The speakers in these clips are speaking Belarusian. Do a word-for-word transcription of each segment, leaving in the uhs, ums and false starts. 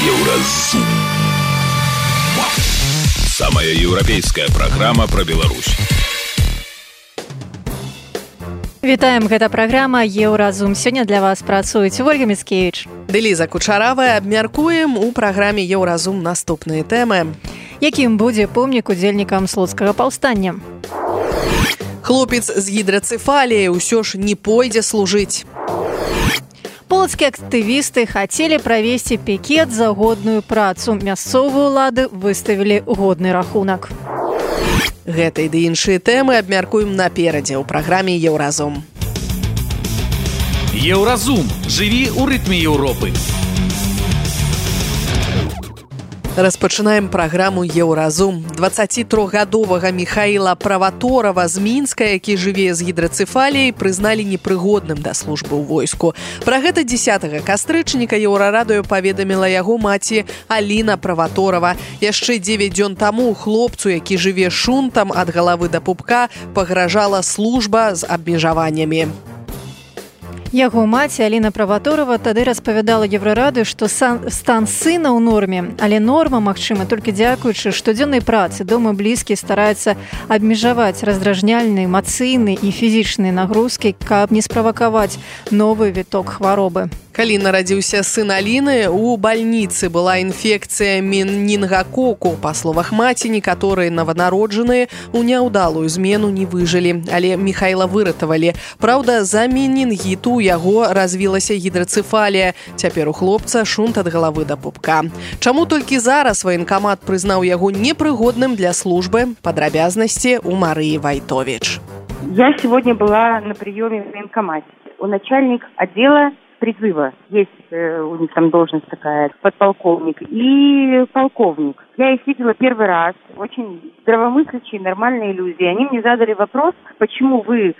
Еўразум. Самая еўрапейская праграма пра Беларусь. Вітаем, гэта праграма Еўразум. Сёння для вас працуюць Ольга Міцкевіч ды Ліза Кучаравая. Абмяркуем у праграме Еўразум наступныя тэмы. Якім будзе помнік удзельнікам слуцкага паўстання? Хлопец з гідрацэфаліяй усё ж не пойдзе служыць. Полацкія актывісты хацелі правесці пікет за годную працу. Мясцовыя ўлады выставілі годны рахунак. Гэтай ды іншыя тэмы абмяркуем наперадзе ў праграме Еўразум. Еўразум. Жыві ў рытме Еўропы. Распачынаем праграму Еўразум. дваццацітрохгадовага Міхаіла Праваторава з Мінска, які жыве з гідрацэфаліяй, прызналі непрыгодным да службы ў войску. Пра гэта дзесятага кастрычніка Еўрарадыё паведаміла яго маці Аліна Праваторава. Яшчэ дзевяць дзён таму хлопцу, які жыве шунтам ад галавы да пупка, пагражала служба з абмежаваннямі. Яго маці Аліна Праваторава тады распавядала Еўрарадыё, што стан сына ў норме, але норма магчыма толькі дзякуючы штодзённай працы. Дома блізкі стараюцца абмежаваць раздражняльныя, эмацыйныя і фізічныя нагрузкі, каб не справакаваць новы віток хваробы. Калі нарадзіўся сын Аліны, у бальніцы была інфекцыя менінгакоку. Па словах маці, некаторыя нованароджаныя у няўдалую змену не выжылі, але Міхаіла выратавалі. Праўда, за менінгіту яго развілася гідрацэфалія. Цяпер у хлопца шунт ад галавы да пупка. Чаму толькі зараз ваенкамат прызнаў яго непрыгодным для службы? Падрабязнасці у Марыі Вайтович. Я сегодня была на приеме в военкомате. У начальника отдела призыва есть э, у них там должность такая, подполковник и полковник. Я их видела первый раз, очень здравомыслящие, нормальные люди. Они мне задали вопрос, почему вы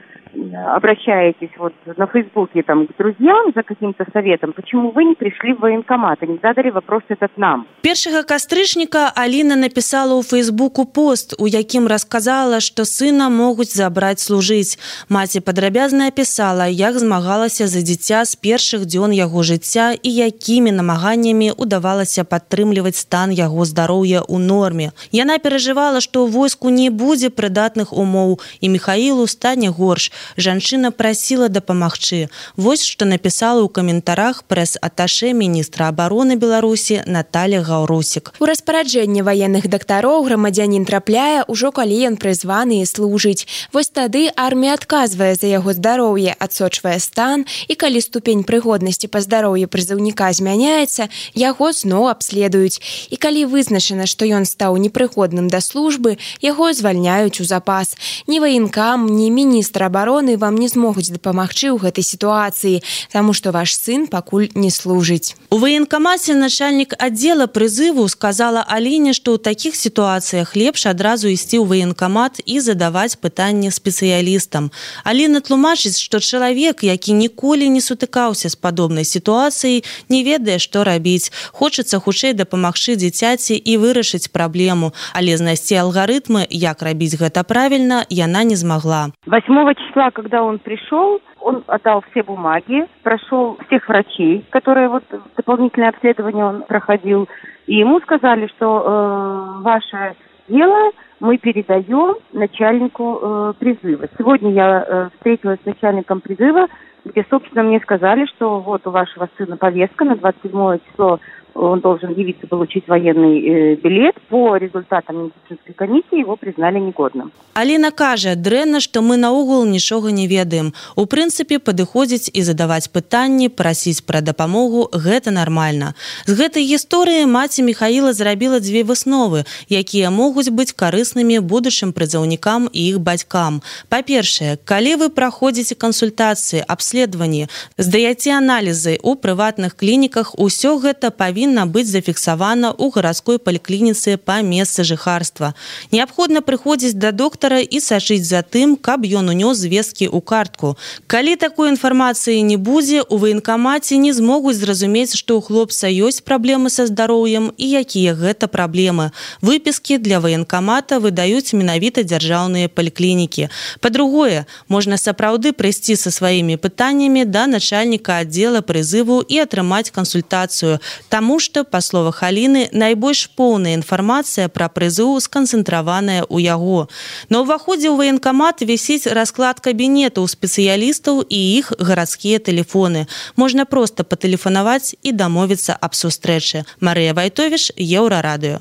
обращаетесь вот на Фейсбуке там, к друзьям за каким-то советом, почему вы не пришли в военкомат? Они задали вопрос этот нам. Першага кастрычніка Аліна напісала ў Фейсбуку пост, у якім расказала, што сына могуць забраць служыць. Маці падрабязна апісала, як змагалася за дзіця з першых дзён яго жыцця і якімі намаганнямі удавалася падтрымліваць стан яго здароўя ў норме. Яна перажывала, што ў войску не будзе прыдатных умоў і Міхаілу стане горш. Жанчына прасіла дапамагчы. Вось што напісала ў каментарах прэс-аташэ міністра абароны Беларусі Наталья Гаўрусік. У распараджэнне ваенных дактароў грамадзянін трапляе ўжо калі ён прызваны і служыць. Вось тады армія адказвае за яго здароўе, адсочвае стан, і калі ступень прыгоднасці па здароўі прызыўніка змяняецца, яго зноў абследуюць. І калі вызначана, што ён стаў непрыгодным да службы, яго звальняюць у запас. Ні ваенкам, ні міністр абароны вам не змогуць дапамагчы ў гэтай сітуацыі, таму што ваш сын пакуль не служыць. У ваенкамаце начальнік аддзела прызыву сказала Аліне, што ў такіх сітуацыях лепш адразу ісці ў ваенкамат і задаваць пытанні спецыялістам. Аліна тлумачыць, што чалавек, які ніколі не сутыкаўся з падобнай сітуацыяй, не ведае, што рабіць. Хочацца хутчэй дапамагчы дзіцяці і вырашыць праблему, але знайсці алгарытмы, як рабіць гэта правільна, яна не змагла. восьмого числа, когда он пришел, он отдал все бумаги, прошел всех врачей, которые вот дополнительное обследование он проходил, и ему сказали, что э, ваше дело мы передаем начальнику э, призыва. Сегодня я э, встретилась с начальником призыва, где, собственно, мне сказали, что вот у вашего сына повестка на двадцать седьмое число, он должен явиться получить военный э, билет. По результатам медицинской комиссии его признали негодным. Аліна кажа, дрэнна, што мы наогул нічога не ведаем. У прынцыпе, падыходзіць і задаваць пытанні, прасіць пра дапамогу – гэта нармальна. З гэтай гісторыі маці Міхаіла зрабіла дзве высновы, якія могуць быць карыснымі будучым прызыўнікам і іх бацькам. Па-першае, калі вы праходзіце кансультацыі, абследаванні, здаяце аналізы ў прыватных клініках, усё гэта павінна быць зафіксавана ў гарадской паліклініцы па месцы жыхарства. Неабходна прыходзіць да доктара і сачыць за тым, каб ён унёс звесткі ў картку. Калі такой інфармацыі не будзе, у ваенкамаце не змогуць зразумець, што ў хлопца ёсць праблемы са здароўем і якія гэта праблемы. Выпіскі для ваенкамата выдаюць менавіта дзяржаўныя паліклінікі. Па-другое, можна сапраўды прыйсці са сваімі пытаннямі пытаннямі да начальніка аддзела прызыву і атрымаць кансультацыю, таму што, па словах Аліны, найбольш поўная інфармацыя пра прызыў сканцэнтраваная ў яго. На ўваходзе ў ваенкамат вісіць расклад кабінета ў спецыялістаў і іх гарадскія тэлефоны. Можна проста патэлефанаваць і дамовіцца аб сустрэчы. Марыя Вайтовіш, Еўрарадыё.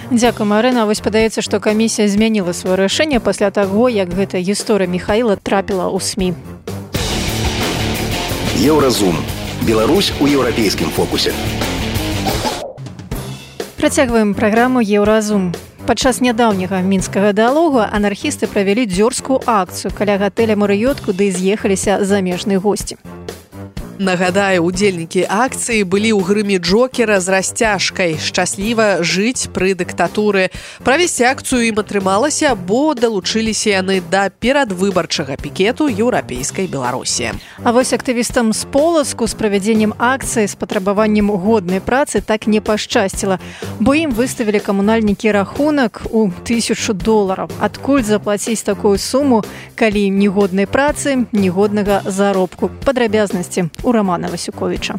Дзякуй, Марына. Вось падаецца, што камісія змяніла сваё рашэнне пасля таго, як гэта гісторыя Міхаіла трапіла ў СМІ. Еўразум. Беларусь у еўрапейскім фокусе. Працягваем праграму Еўразум. Падчас нядаўняга мінскага дыалогу анархісты правялі дзёрзкую акцыю каля гатэля «Марыёт», куды з'ехаліся замежныя госці. Нагадаю, удзельнікі акцыі былі ў грыме Джокера з расцяжкай «Шчасліва жыць пры дыктатуры». Правесці акцыю ім атрымалася, бо далучыліся яны да перадвыбарчага пікету еўрапейскай Беларусі. А вось актывістам з Полацку з правядзеннем акцыі з патрабаваннем годнай працы так не пашчасціла, бо ім выставілі камунальнікі рахунак у тысячу долараў. Адкуль заплаціць такую суму, калі ні годнай працы, ні годнага заробку? Падрабязнасці у Романа Васюковіча.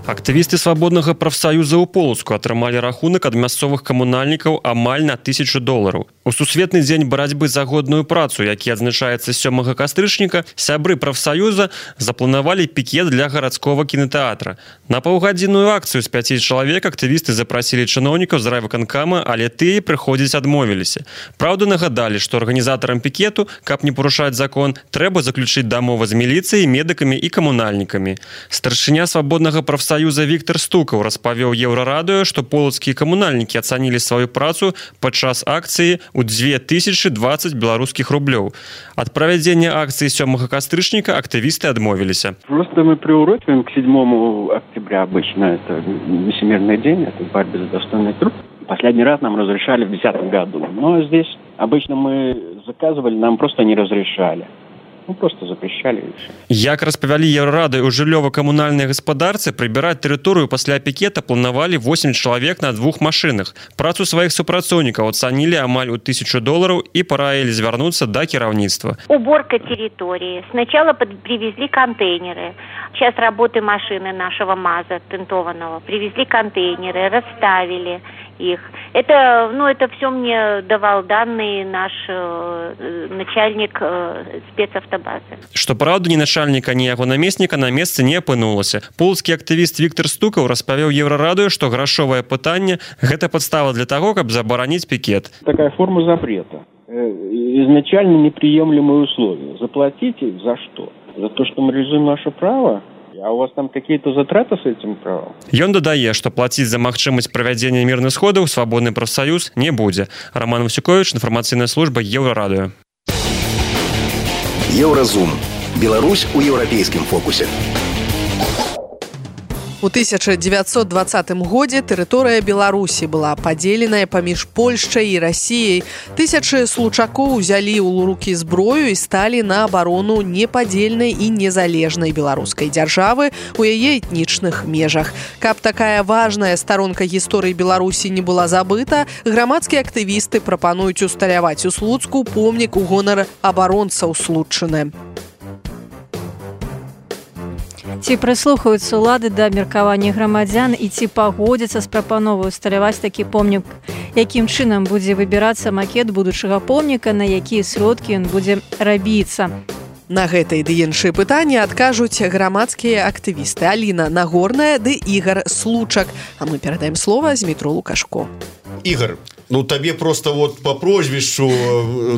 Актывісты свабоднага прафсаюза ў Полацку атрымалі рахунак ад мясцовых камунальнікаў амаль на тысячу долараў. У сусветны дзень барацьбы за годную працу, які адзначаецца сёмага кастрычніка, сябры прафсаюза запланавалі пікет для гарадскога кінотэатра. На паўгадзінную акцыю з пяці чалавек актывісты запрасілі чыноўнікаў з райвыканкама, але тыя прыходзіць адмовіліся. Праўда, нагадалі, што арганізатарам пікету, каб не парушаць закон, трэба заключыць дамову з міліцыяй, медыкамі і камунальнікамі. Старшыня свабоднага прафсаюза Віктор Стукаў распавёў Еўрарадыё, што полацкія камунальнікі ацанілі сваю працу падчас акцыі ў дзве тысячы дваццаць беларускіх рублёў. Ад правядзення акцыі сёмага кастрычніка актывісты адмовіліся. Просто мы приурочиваем к седьмому октября обычно. Это Всемирный день, это борьба за достойный труд. Последний раз нам разрешали в десятом году. Но здесь обычно мы заказывали, нам просто не разрешали. Ну, просто запрещали и все. Як распавялі Еўрарадыё, у жыллёва-камунальнай гаспадарцы прыбіраць тэрыторыю пасля пікета планавалі восемь чалавек на двух машынах. Працу сваіх супрацоўнікаў ацанілі амаль у тысячу долараў і параілі звярнуцца да кіраўніцтва. Уборка территории. Сначала под... привезли контейнеры. Час работы машины нашего МАЗа тентованного. Привезли контейнеры, расставили их. Это, ну, это все мне давал данные наш э, начальник э, спецавтобазы. Што праўда, ні начальніка, ні яго намесніка на месцы не апынулася. Полацкі актывіст Віктор Стукаў распавёў Еўрарадыё, што грашовае пытанне – гэта падстава для таго, каб забараніць пікет. Такая форма запрета. Изначально неприемлемые условия. Заплатите за что? За то, что мы реализуем наше право? А у вас там какие-то затраты с этим правом? Ён дадае, што плаціць за магчымасць правядзення мірных сходаў свабодны прафсаюз не будзе. Роман Васюкович, інфармацыйная служба Еўрарадыё. Еўразум. Беларусь у еўрапейскім фокусе. У тысяча дзевяцьсот двадцатым годзе тэрыторыя Беларусі была падзеленая паміж Польшчай і Расіяй. Тысячы случакоў узялі ў рукі зброю і сталі на абарону непадзельнай і незалежнай беларускай дзяржавы у яе этнічных межах. Каб такая важная старонка гісторыі Беларусі не была забыта, грамадскія актывісты прапануюць усталяваць у Слуцку помнік у гонар абаронцаў Слуцчыны. Ці прыслухаюцца ўлады да меркавання грамадзян і ці пагодзяцца з прапановай усталяваць такі помнік? Якім чынам будзе выбірацца макет будучага помніка, на якія сродкі ён будзе рабіцца? На гэтыя ды іншыя пытанні адкажуць грамадскія актывісты Аліна Нагорная ды Ігар Случак. А мы перадаем слова Змітру Лукашко. Ігар, ну табе просто вот по прозвішчу,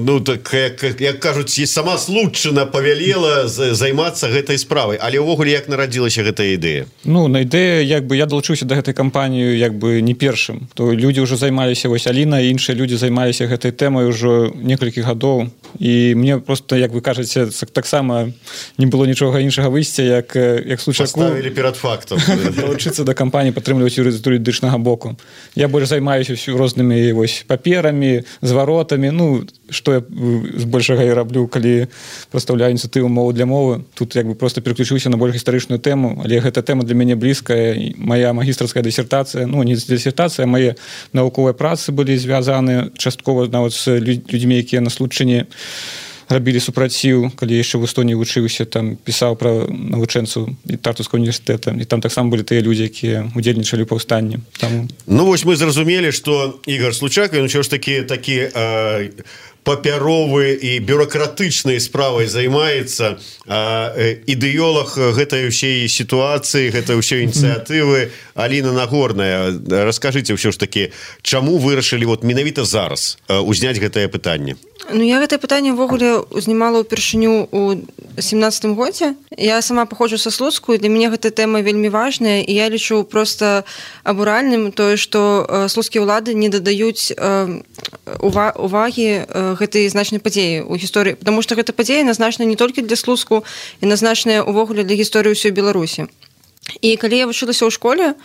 ну так як, як кажуць, сама Слуцчына павялела займацца гэтай справай, але ўвогуле як нарадзілася гэтая ідэя? Ну на ідэя, як бы я далучыўся да гэтай кампаніі як бы не першым, то людзі ўжо займаліся, вось Аліна і іншыя людзі займаліся гэтай тэмай ўжо некалькі гадоў, і мне просто, як вы кажаце, таксама не было нічога іншага выйсця, як як Случаку паставілі перад фактам далучыцца да кампаніі, падтрымліваць юрыдычнага боку. Я больш займаюся рознымі вось паперамі, зваротамі, ну што я збольшага і раблю, калі прадстаўляю ініцыятыву мову для мовы. Тут як бы просто пераключыўся на больш гістарычную тэму, але гэта тэма для мяне блізкая. Мая магістрская дысертацыя, ну не дысертацыя, мае навуковыя працы былі звязаны часткова нават з людзьмі, якія на Слуцчыне рабілі супраціў, калі яшчэ в Эстонії вучыўся, там пісаў пра навучэнцаў Тартускага універсітэта, і там таксама былі тыя людзі, якія удзельнічалі ў паўстанні. Там... Ну вось мы зразумелі, што Ігор Случак, ён ўсё ж такі такі э, папяровы і бюрократычнай справай займаецца, а ідэолог гэтай усей сітуацыі, гэтай усей ініцыятывы Аліна Нагорная. Раскажыце ўсё ж такі, чаму вырашылі вот менавіта зараз узняць гэтае пытанне? Ну, я гэтае пытанне ўвогуле узнімала ўпершыню ў семнадцатым годзе. Я сама паходжу са Слуцку, і для мяне гэтая тэма вельмі важная, і я лічу проста абуральным тое, што слуцкія ўлады не дадаюць увагі гэтай значнай падзеі ў гісторыі, потому што гэта падзея назначана не толькі для Слуцку, і назначаная ўвогуле для гісторыі ўсёй Беларусі. І калі я вучылася ў школе,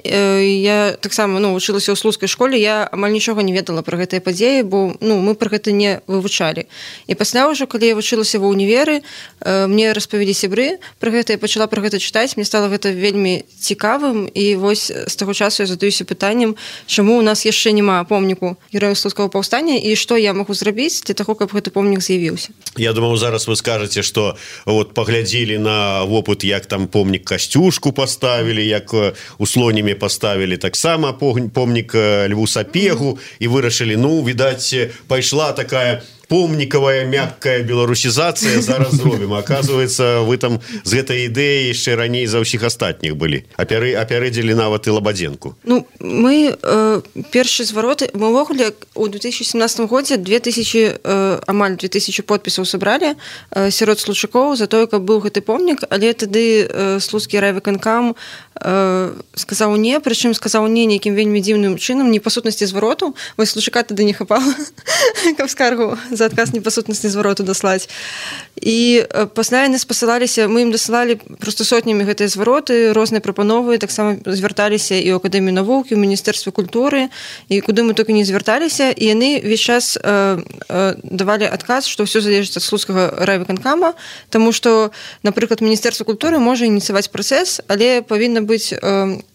я таксама ну, вучылася ў слуцкай школе, я амаль нічога не ведала пра гэтыя падзеі, бо ну, мы пра гэта не вывучалі. І пасля ўжо, калі я вучылася ва ўніверы, мне распавялі сябры пра гэта, я пачала пра гэта чытаць, мне стала гэта вельмі цікавым, і вось з таго часу я задаюся пытаннем, чаму у нас яшчэ няма помніку герояў слуцкага паўстання, і што я магу зрабіць для таго, каб гэты помнік з'явіўся. Я думаю, зараз вы скажаце, што вот паглядзелі на вопыт, як там помнік Касцюшку поставілі, як у Слоніме поставілі таксама помнік Льву Сапегу, і вырашылі, ну, відаць, пайшла такая помніковая мяккая беларусізацыя, зараз зробім. Оказывается, вы там з гэтай ідэяй яшчэ раней за ўсіх астатніх былі. Апярэдзілі нават і Лабадзенку. Ну, мы э, першы звароты, мы ўвогуле у две тысячи семнадцатым годзе две тысячи, э, амаль две тысячи подпісаў сабралі э, сярод случакоў за тое, каб быў гэты помнік, але тады э, слуцкі райвыканкам э, сказаў не, прычым сказаў не нейкім вельмі дзіўным чынам, не па сутнасці звароту, вось случака тады не хапала, каб скаргу за адказ непасутнасці звароту даслаць. І пасля яны спасылаліся, мы ім дасылалі проста сотнямі гэтыя звароты, розныя прапановы, таксама звярталіся і ў Акадэмію навук, і ў Міністэрстве культуры, і куды мы толькі не звярталіся, і яны весь час э, э, давалі адказ, што ўсё залежыць ад слуцкага райвыканкама, таму што, напрыклад, Міністэрства культуры можа ініцыяваць працэс, але павінна быць э,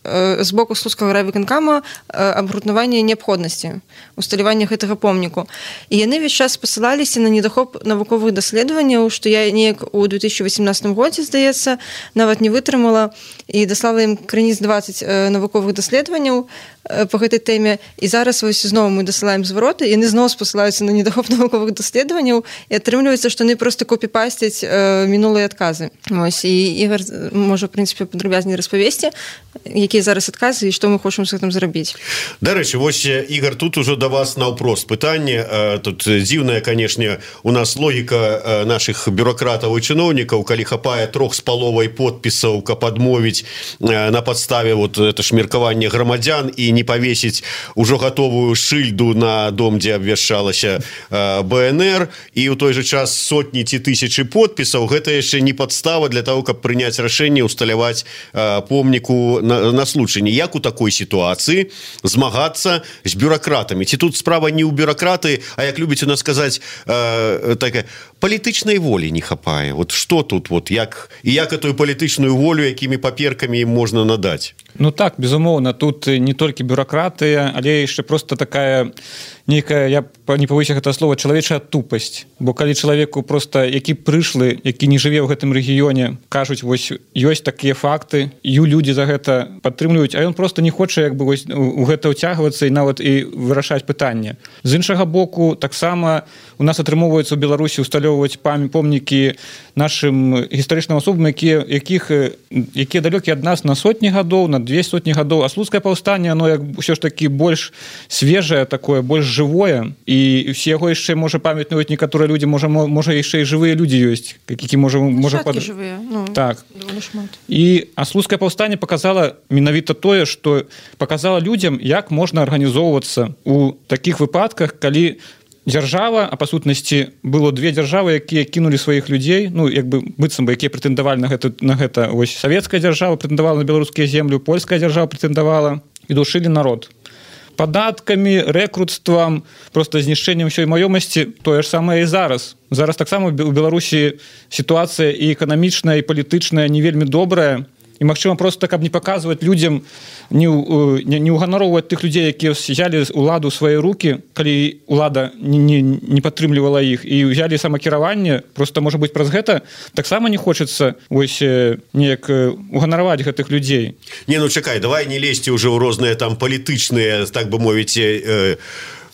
э, з боку слуцкага райвыканкама э, абгрунтаванне неабходнасці усталявання гэтага помніку. І яны весь час спасылаліся на недахоп навуковых даследаванняў, што я неяк у две тысячи восемнадцатым годзе, здаецца, нават не вытрымала і даслала ім крыніц двадцать навуковых даследаванняў по гэтай тэме, і зараз вось зноў мы дасылаем звароты, і яны зноў спасылаюцца на недахоп навуковых даследаванняў, і атрымліваецца, што яны проста копіпасцяць э, мінулыя адказы. Вось, і Ігор можа, в прынцыпе, падрабязней распавесці, якія зараз адказы і што мы хочам з гэтым зрабіць. Дарэчы, вось, Ігор, тут ужо да вас наўпрост пытанне. Тут дзіўная, канешне, у нас логіка нашых бюрократаў і чыноўнікаў, калі хапае трох з паловай подпісаў, каб адмовіць на падставе вот это ж меркаванне грамадзян і не павесіць ужо гатовую шыльду на дом, дзе абвяшчалася бэ эн эр, і ў той жа час сотні ці тысячы подпісаў, гэта яшчэ не падстава для того, каб прыняць рашэнне усталяваць помніку на, на случайне. Як у такой сітуацыі змагацца з бюрократамі? Ці тут справа не ў бюрократы, а як любіць у нас сказаць, э, такая палітычнай волі не хапае. Вот што тут, вот, як, і як эту палітычную волю, якімі паперкамі ім можна надаць? Ну так, безумоўна, тут не толькі бюрократыя, але яшчэ просто такая нейкая, я не павыся гэта слова, чалавечая тупасць. Бо калі чалавеку просто, які прышлы, які не жыве ў гэтым рэгіёне, кажуць, вось ёсць такія факты, і людзі за гэта падтрымліваюць, а ён просто не хоча як бы вось у гэта ўцягвацца і нават і вырашаць пытанне. З іншага боку, таксама у нас атрымоўваецца ў Беларусі усталёўваць помнікі нашым гістарычным асобам, якія якіх якія далёкія ад нас на сотні гадоў, на две сотні гадоў, а слуцкае паўстанне, оно як ўсё ж такі больш свежае такое, больш жывое, і все яго яшчэ можа памятаюць некаторыя людзі, можа можа яшчэ і жывыя людзі ёсць, які можа можа пад... жывыя, ну, так. І а слуцкае паўстанне показала менавіта тое, што показала людзям, як можна арганізоўвацца у такіх выпадках, калі дзяржава, а па сутнасці было две дзяржавы, якія кінулі сваіх людзей, ну як бы быццам бы якія прэтэндавалі на гэта, на гэта вось савецкая дзяржава прэтэндавала на беларускія землю, польская дзяржава прэтэндавала і душылі народ падаткамі, рэкрутствам, просто знішчэннем ўсёй маёмасці. Тое ж самае і зараз. Зараз таксама у Беларусі сітуацыя і эканамічная, і палітычная не вельмі добрая, і магчыма просто каб не паказваць людзям не, не, не уганароўваць тых людзей, якія взялі уладу ў свае рукі, калі улада не, не, не падтрымлівала іх і взялі самакіраванне, просто можа быць праз гэта таксама не хочацца вось неяк уганараваць гэтых людзей. Не, ну чакай, давай не лезьце ўжо ў розныя там палітычныя, так бы мовіць, э,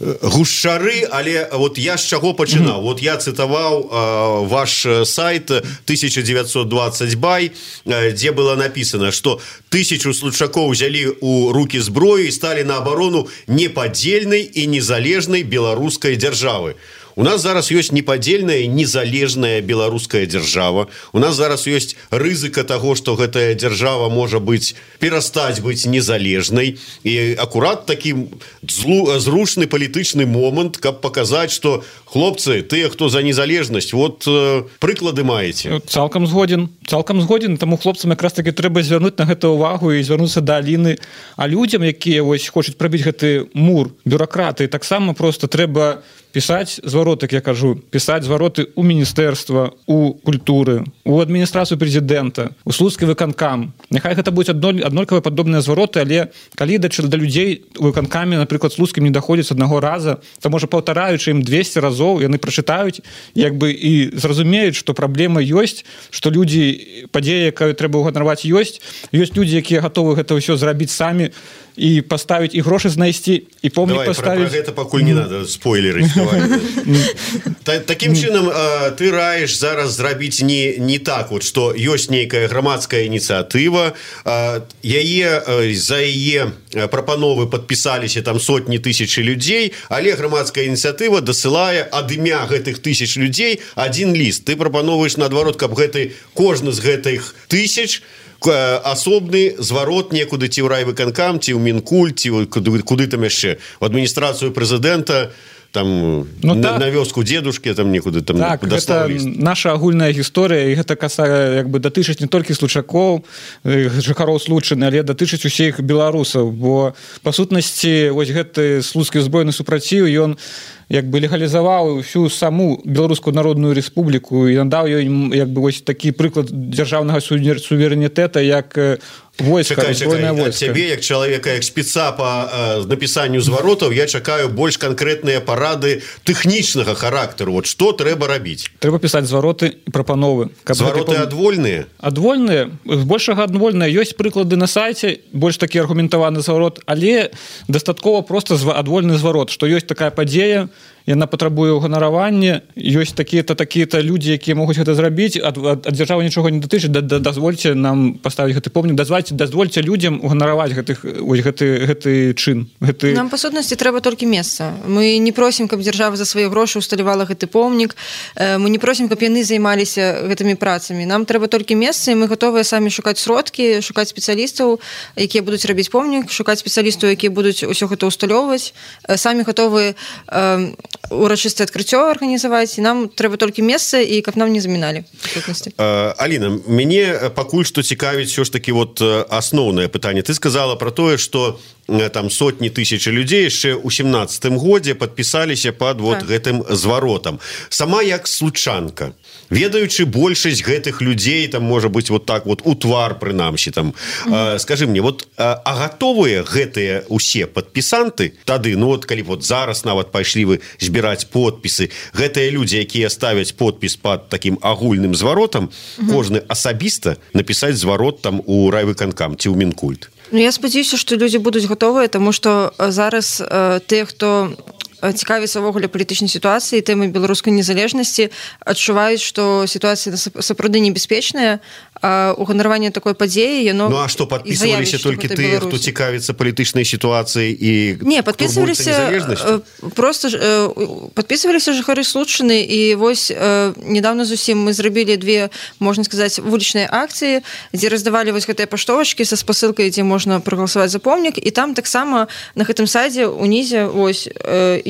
гушчары, але вот я з чаго пачынаў? Mm-hmm. Вот я цытаваў э, ваш сайт тысяча девятьсот двадцать бай, э, дзе было написано, что тысячу случакоў взялі ў рукі зброю і сталі на абарону непадзельнай і незалежнай беларускай дзяржавы. У нас зараз ёсць непадзельная незалежная беларуская дзяржава. У нас зараз ёсць рызыка таго, што гэтая дзяржава можа быць перастаць быць незалежнай. І акурат такі зручны палітычны момант, каб паказаць, што хлопцы, тыя, хто за незалежнасць, вот э, прыклады маеце. Цалкам згоден, цалкам згоден, таму хлопцам якраз таки трэба звярнуць на гэта ўвагу і звярнуцца да Аліны. А людзям, якія вось хочуць прабіць гэты мур, бюракраты, таксама просто трэба пісаць звароты, як я кажу, пісаць звароты ў міністэрства, у культуры, у адміністрацыю прэзідэнта, у слуцкі выканкам. Няхай гэта будуць аднолькавыя падобныя звароты, але калі да, да людзей у выканкаме, напрыклад, слуцкім не даходзіць аднаго раза, то можа паўтараючы ім двесце разоў, яны прачытаюць як бы і зразумеюць, што праблема ёсць, што людзі, падзея, якую трэба ўганараваць, ёсць. Ёсць людзі, якія гатовы гэта ўсё зрабіць самі і паставіць і грошы знайсці, і помнік паставіць. Давай, про, про гэта пакуль не надо спойлеры. Такім чынам ты раеш зараз зрабіць не, не так, вот, што ёсць нейкая грамадская ініцыятыва, яе, за яе прапановы падпісаліся там сотні тысячы людзей, але грамадская ініцыятыва дасылае ад імя гэтых тысяч людзей адзін ліст. Ты прапановаеш наадварот, каб гэты кожны з гэтых тысяч асобны зварот некуды ці ў райвыканкам, ці ў Мінкульт, ці куды, куды там яшчэ, в адміністрацыю прэзідэнта, там ну, на, так. на вёску дзедушкі там некуды там так, гэта наша агульная гісторыя, і гэта касае як бы датычыць не толькі случакоў, жыхароў Случчыны, але датычыць усіх беларусаў, бо па сутнасці вось гэты слуцкі збройны супраціў, ён як бы легалізаваў всю саму Беларускую народную рэспубліку і надаў ёй як бы вось такі прыклад дзяржаўнага суверэнітэта, як войска, чакай, чакай. Ад цябе, як чалавека, як спеца па э, напісанню зваротаў, я чакаю больш канкрэтныя парады тэхнічнага характару. Вот што трэба рабіць? Трэба пісаць звароты і прапановы. Звароты гэта... адвольныя? Адвольныя. Збольшага адвольныя. Ёсць прыклады на сайце, больш такі аргументаваны зварот, але дастаткова проста адвольны зварот, што ёсць такая падзея, яна патрабуе ўганаравання, ёсць такія-то такія-то людзі, якія могуць гэта зрабіць, ад, ад, ад дзяржавы нічога не датычыць, да, да, дазвольце нам паставіць гэты помнік, дазвольце, дазвольце людзям уганараваць гэтых, ось, гэты, гэты чын. Гэты... Нам, па сутнасці, трэба толькі месца. Мы не просім, каб дзяржава за свае грошы усталявала гэты помнік, мы не просім, каб яны займаліся гэтымі працамі. Нам трэба толькі месца, і мы гатовыя самі шукаць сродкі, шукаць спецыялістаў, якія будуць рабіць помнік, шукаць спецыялістаў, якія будуць усё гэта усталёўваць, самі гатовыя э, урачыстае адкрыццё арганізаваць, і нам трэба толькі месца, і каб нам не заміналі. Аліна, мяне пакуль што цікавіць ўсё ж такі вот асноўнае пытанне. Ты сказала про тое, што там сотні тысяч людзей яшчэ ў сямнаццатым годзе падпісаліся пад вот так. гэтым зваротам. Сама як случанка, ведаючы большасць гэтых людзей, там можа быць вот так вот у твар прынамсі там, mm-hmm. э, скажы мне, вот а, а гатовыя гэтыя усе падпісанты тады, ну вот калі вот зараз нават пайшлі вы збіраць подпісы, гэтыя людзі, якія ставяць подпіс пад такім агульным зваротам, mm-hmm. кожны асабіста напісаць зварот там у райвыканкам ці ў Мінкульт. Ну, я спадзяюся, што людзі будуць гатовыя, таму што зараз э, тыя, хто цікавіцца ўвогуле палітычнай сітуацыі, тэмы беларускай незалежнасці, адчуваюць, што сітуацыя сапраўды небяспечная, а уганараванне такой падзеі, яно... Ну, а што, падпісваліся толькі тыя, хто цікавіцца палітычнай сітуацыяй і... Не, падпісваліся... Просто падпісваліся жыхары Случчыны, і вось недавно зусім мы зрабілі две, можна сказаць, вулічныя акцыі, дзе раздавалі вось гэтыя паштовачкі са спасылкай, дзе можна прагаласаваць за помнік, і там таксама на гэтым сайце унізе вось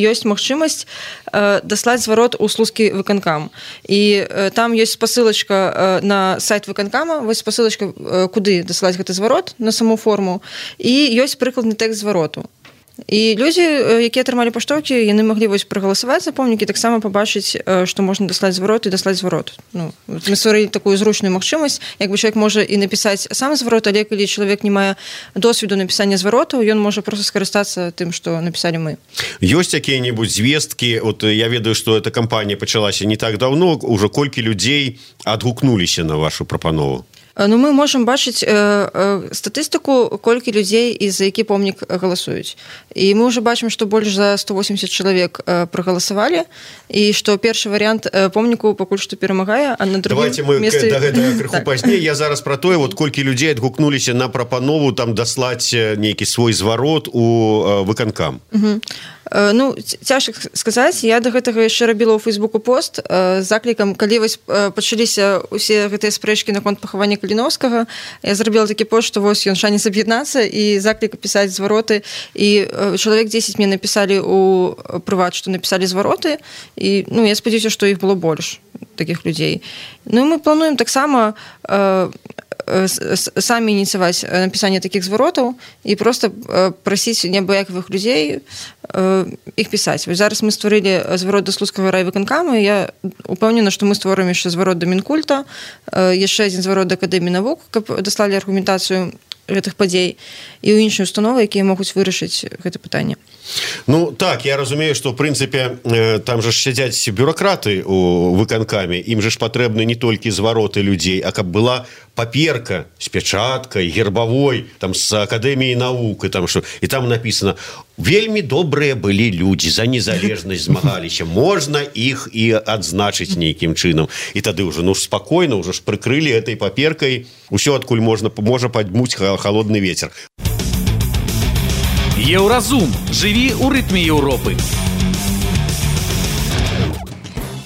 ёсць магчымасць э, даслаць зварот у слуцкі выканкам. І э, там ёсць спасылачка э, на сайт выканкама, вось спасылачка, э, куды даслаць гэты зварот, на саму форму, і ёсць прыкладны тэкст звароту. І людзі, якія атрымалі паштоўкі, яны маглі вось прагаласаваць за помнік і таксама пабачыць, што можна даслаць зварот і даслаць зварот. Ну, мы стварылі такую зручную магчымасць, як бы чалавек можа і напісаць сам зварот, але калі чалавек не мае досведу напісання зваротаў, ён можа проста скарыстацца тым, што напісалі мы. Ёсць якія-небудзь звесткі? Вот я ведаю, што эта кампанія пачалася не так даўно, ужо колькі людзей адгукнуліся на вашу прапанову? Ну, мы можам бачыць э, э, статыстыку, колькі людзей і за які помнік галасуюць. І мы ўжо бачым, што больш за сто восемьдесят чалавек э, прагаласавалі, і што першы варыянт э, помніку пакуль што перамагае, а на другім месцы... Давайте мы месцы... да гэтага крыху так. Пазней. Я зараз пра тое, вот колькі людзей адгукнуліся на прапанову там даслаць нейкі свой зварот у э, выканкам. Угу. Ну, цяжка сказаць, я да гэтага яшчэ рабіла ў Фейсбуку пост з заклікам, калі вось пачаліся ўсе гэтыя спрэчкі наконт пахавання Каліновскага, я зрабіла такі пост, што вось ён шанец аб'яднацца і заклік пісаць звароты, і чалавек дзесяць мне напісалі ў прыват, што напісалі звароты, і ну, я спадзяюся, што іх было больш такіх людзей. Ну, мы плануем таксама самі ініцыяваць напісанне такіх зваротаў і проста прасіць неабыякавых людзей іх пісаць. Вось зараз мы стварылі зварот да слуцкага райвыканкама, і я упэўнена, што мы створым яшчэ зварот да Мінкульта, яшчэ адзін зварот да Акадэміі навук, каб даслалі аргументацыю гэтых падзей і ў іншыя установы, якія могуць вырашыць гэта пытанне. Ну так, я разумею, што ў прынцыпе там жа сядзяць бюракраты у выканкаме, ім же ж патрэбны не толькі звароты людзей, а каб была паперка з пячаткай, гербавой, там з Акадэміі навук, і там што, і там напісана: вельмі добрыя былі людзі, за незалежнасць змагаліся, можна іх і адзначыць нейкім чынам. І тады ўжо ну ж спакойна, ўжо ж прыкрылі этой паперкай усё, адкуль можна можа падмуць халодны вецер. Еўразум. Жыві ў рытме Еўропы.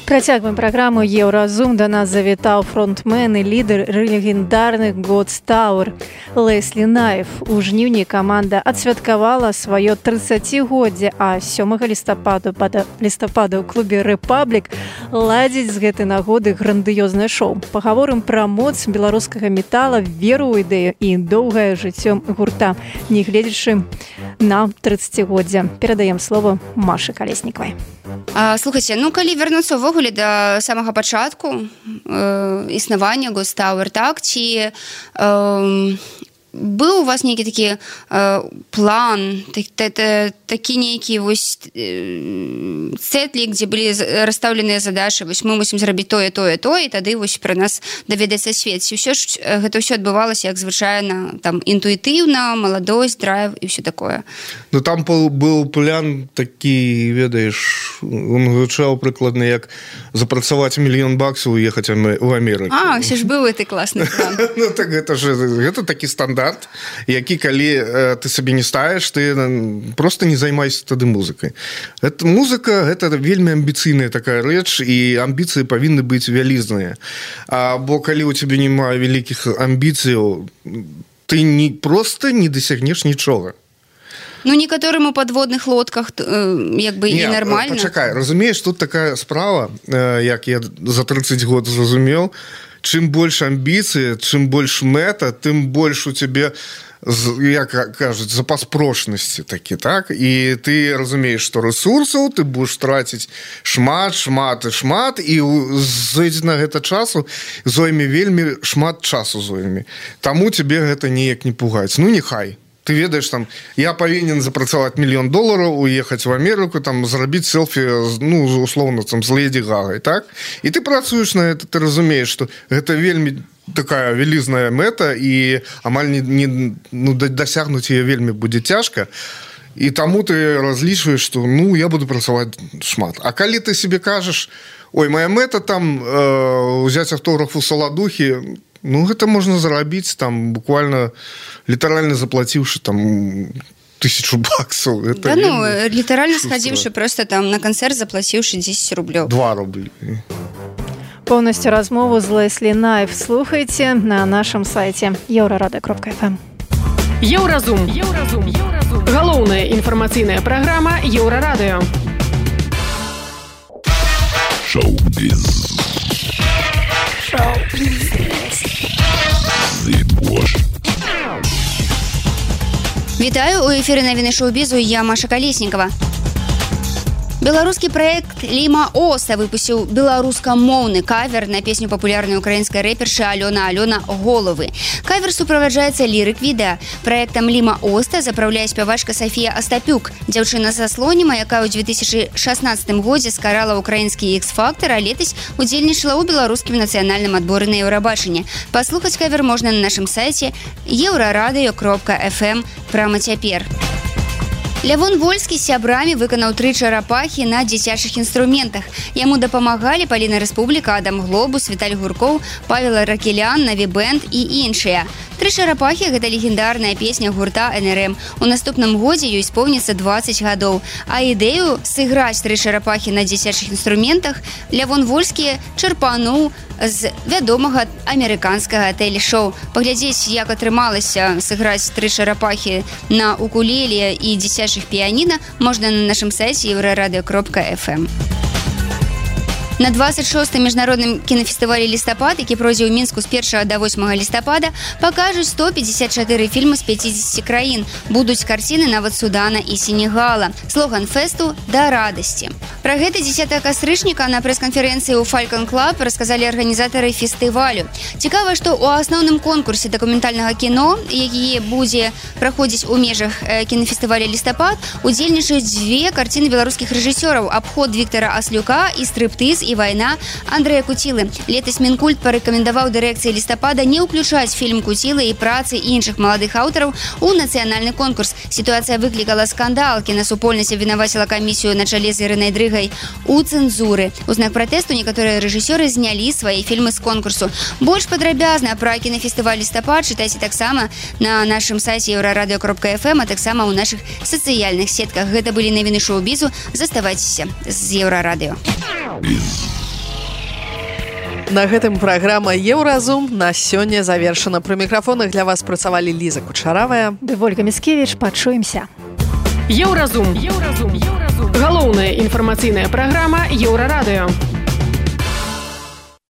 Працягваем праграму «Еўразум». Да нас завітаў фронтмен і лідар легендарных God's Tower Леслі Найф. У жніўні каманда адсвяткавала сваё трыццацігоддзе, а сёмага лістапада лістапада ў клубе «Рэпаблік» ладзіць з гэтай нагоды грандыёзнае шоу. Пагаворым пра моц беларускага метала, веру ў ідэю і доўгае жыццё гурта, не гледзячы на трыццацігоддзе. Перадаем слово Машы Калеснікавай. А, слухайце, ну калі вярнуцца ўвогуле да самага пачатку э, існавання God's Tower, так, ці э, быў у вас нейкі такі э, план, так, та, та, такі нейкі вось э, цэтлік, дзе былі расстаўленыя задачы, вось мы мусім зрабіць тое, тое, тое, і тады вось пра нас даведаецца свет. Ці ўсё ж гэта ўсё адбывалася як звычайна, там інтуітыўна, маладосць, драйв і ўсё такое? Ну там быў план такі, ведаеш, он гучаў прыкладна як запрацаваць мільён баксаў і ехаць у Амерыку. А, ўсё ж быў гэты класны план. Ну так гэта ж гэта такі стандарт, які калі э, ты сабе не ставіш, ты просто не займайся тады музыкай. Это музыка, гэта вельмі амбіцыйная такая рэч, і амбіцыі павінны быць вялізныя. А, бо калі у цябе няма вялікіх амбіцыяў, ты не просто не дасягнеш нічога. Ну, некаторым у падводных лодках э, як бы не, і нармальна. Пачакай, разумееш, тут такая справа, э, як я за трыццаць год зразумеў, чым больш амбіцыі, чым больш мэта, тым больш у цябе, як кажуць, запас прочнасці такі, так? І ты разумееш, што рэсурсаў ты будзеш траціць шмат, шмат і шмат, і зойдзе на гэта часу зойме вельмі шмат часу зойме. Таму цябе гэта неяк не пугаць. Ну, нехай. Ты ведаеш, там, я павінен запрацаваць мільён долараў, уехаць в Амерыку, там, зрабіць селфі, ну, условно, там, з Леді Гагай, так? І ты працуеш на гэта, ты разумееш, што гэта вельмі такая вялізная мэта, і амаль не, не, ну, дасягнуць яе вельмі будзе цяжка, і таму ты разлічваеш, што, ну, я буду працаваць шмат. А калі ты себе кажаш, ой, моя мэта там э, узяць аўтограф у Саладухі, ну, гэта можна зарабіць, там, буквально, літаральна заплаціўшы, там, тысячу баксаў. Да, ну, літаральна схадзіўшы просто там на канцэрт, заплаціўшы дзесяць рублёў. Два рублі. Поўнасцю размову з Леслі Найф слухайце на нашым сайце еўрарада кропка эф эм. Еўразум. Еўразум. Еўразум. Галоўная інфармацыйная праграма Еўрарадыё. Шоу-біз. Шоу-біз. Вітаю, у эфіры навіны шоу-бізу, я Маша Калеснікова. Беларускі праект Ліма Оста выпусціў беларускамоўны кавер на песню папулярнай украінскай рэпершы Алёна Алёна «Головы». Кавер суправаджаецца лірык-відэа. Праектам Ліма Оста запраўляе спявачка Сафія Астапюк, дзяўчына са Слоніма, якая ў две тысячы шаснаццатым годзе скарала ўкраінскі X-фактор, а летась удзельнічала ў беларускім нацыянальным адборы на Еўрабачанне. Паслухаць кавер можна на нашым сайце еўрарадыё кропка эф эм прама цяпер. Лявон Вольскі з сябрамі выканаў тры чарапахі на дзіцячых інструментах. Яму дапамагалі Паліна Рэспубліка, Адам Глобус, Віталь Гуркоў, Павел Ракелян, Наві Бэнд і іншыя. Тры чарапахі – гэта легендарная песня гурта эн эр эм. У наступным годзе ёй споўніцца дваццаць гадоў. А ідэю сыграць тры чарапахі на дзіцячых інструментах Лявон Вольскі чарпануў з вядомага амерыканскага тэлешоу. Паглядзець, як атрымалася сыграць тры чарапахі на укулеле і дзіцячых піяніна, можна на нашым сайце еўрарадыё кропка эф эм. На двадцать шостым міжнародным кінафестывалі «Лістапад», які пройдзе ў Мінску з першага да восьмага лістапада, пакажуць сто пятьдесят четыре фільмы з пятидесяти краін. Будуць карціны нават Судана і Сенегала. Слоган фэсту «Да радасці». Пра гэта дзесятага кастрычніка на прэс-канферэнцыі ў Falcon Club расказалі арганізатары фестывалю. Цікава, што ў асноўным конкурсе дакументальнага кіно, які будзе праходзіць у межах кінафестываля «Лістапад», удзельнічаюць дзве карціны беларускіх рэжысёраў: «Абход» Віктара Аслюка і «Стрыптыз і вайна» Андрэя Куцілы. Летась Мінкульт парэкамендаваў дырэкцыі «Лістапада» не ўключаць фільм Куцілы і працы іншых маладых аўтараў у нацыянальны конкурс. Сітуацыя выклікала скандал. Кінасупольнасць абвінаваціла камісію на чале з Ірынай Дрыгай у цэнзуры. У знак пратэсту некаторыя рэжысёры знялі свае фільмы з конкурсу. Больш падрабязна пра кінафестываль «Лістапад» чытайце таксама на нашым сайце еўрарадыё кропка эф эм, а таксама ў нашых сацыяльных сетках. Гэта былі навіны шоу-бізу. Заставайцеся з еўрарадыё. На гэтым праграма «Еўразум» на сёння завершана. Пры мікрафонах для вас працавалі Ліза Кучаравая ды Вольга Міскевіч. Пачуемся. Еўразум. Еўразум. Галоўная інфармацыйная праграма Еўрарадыё.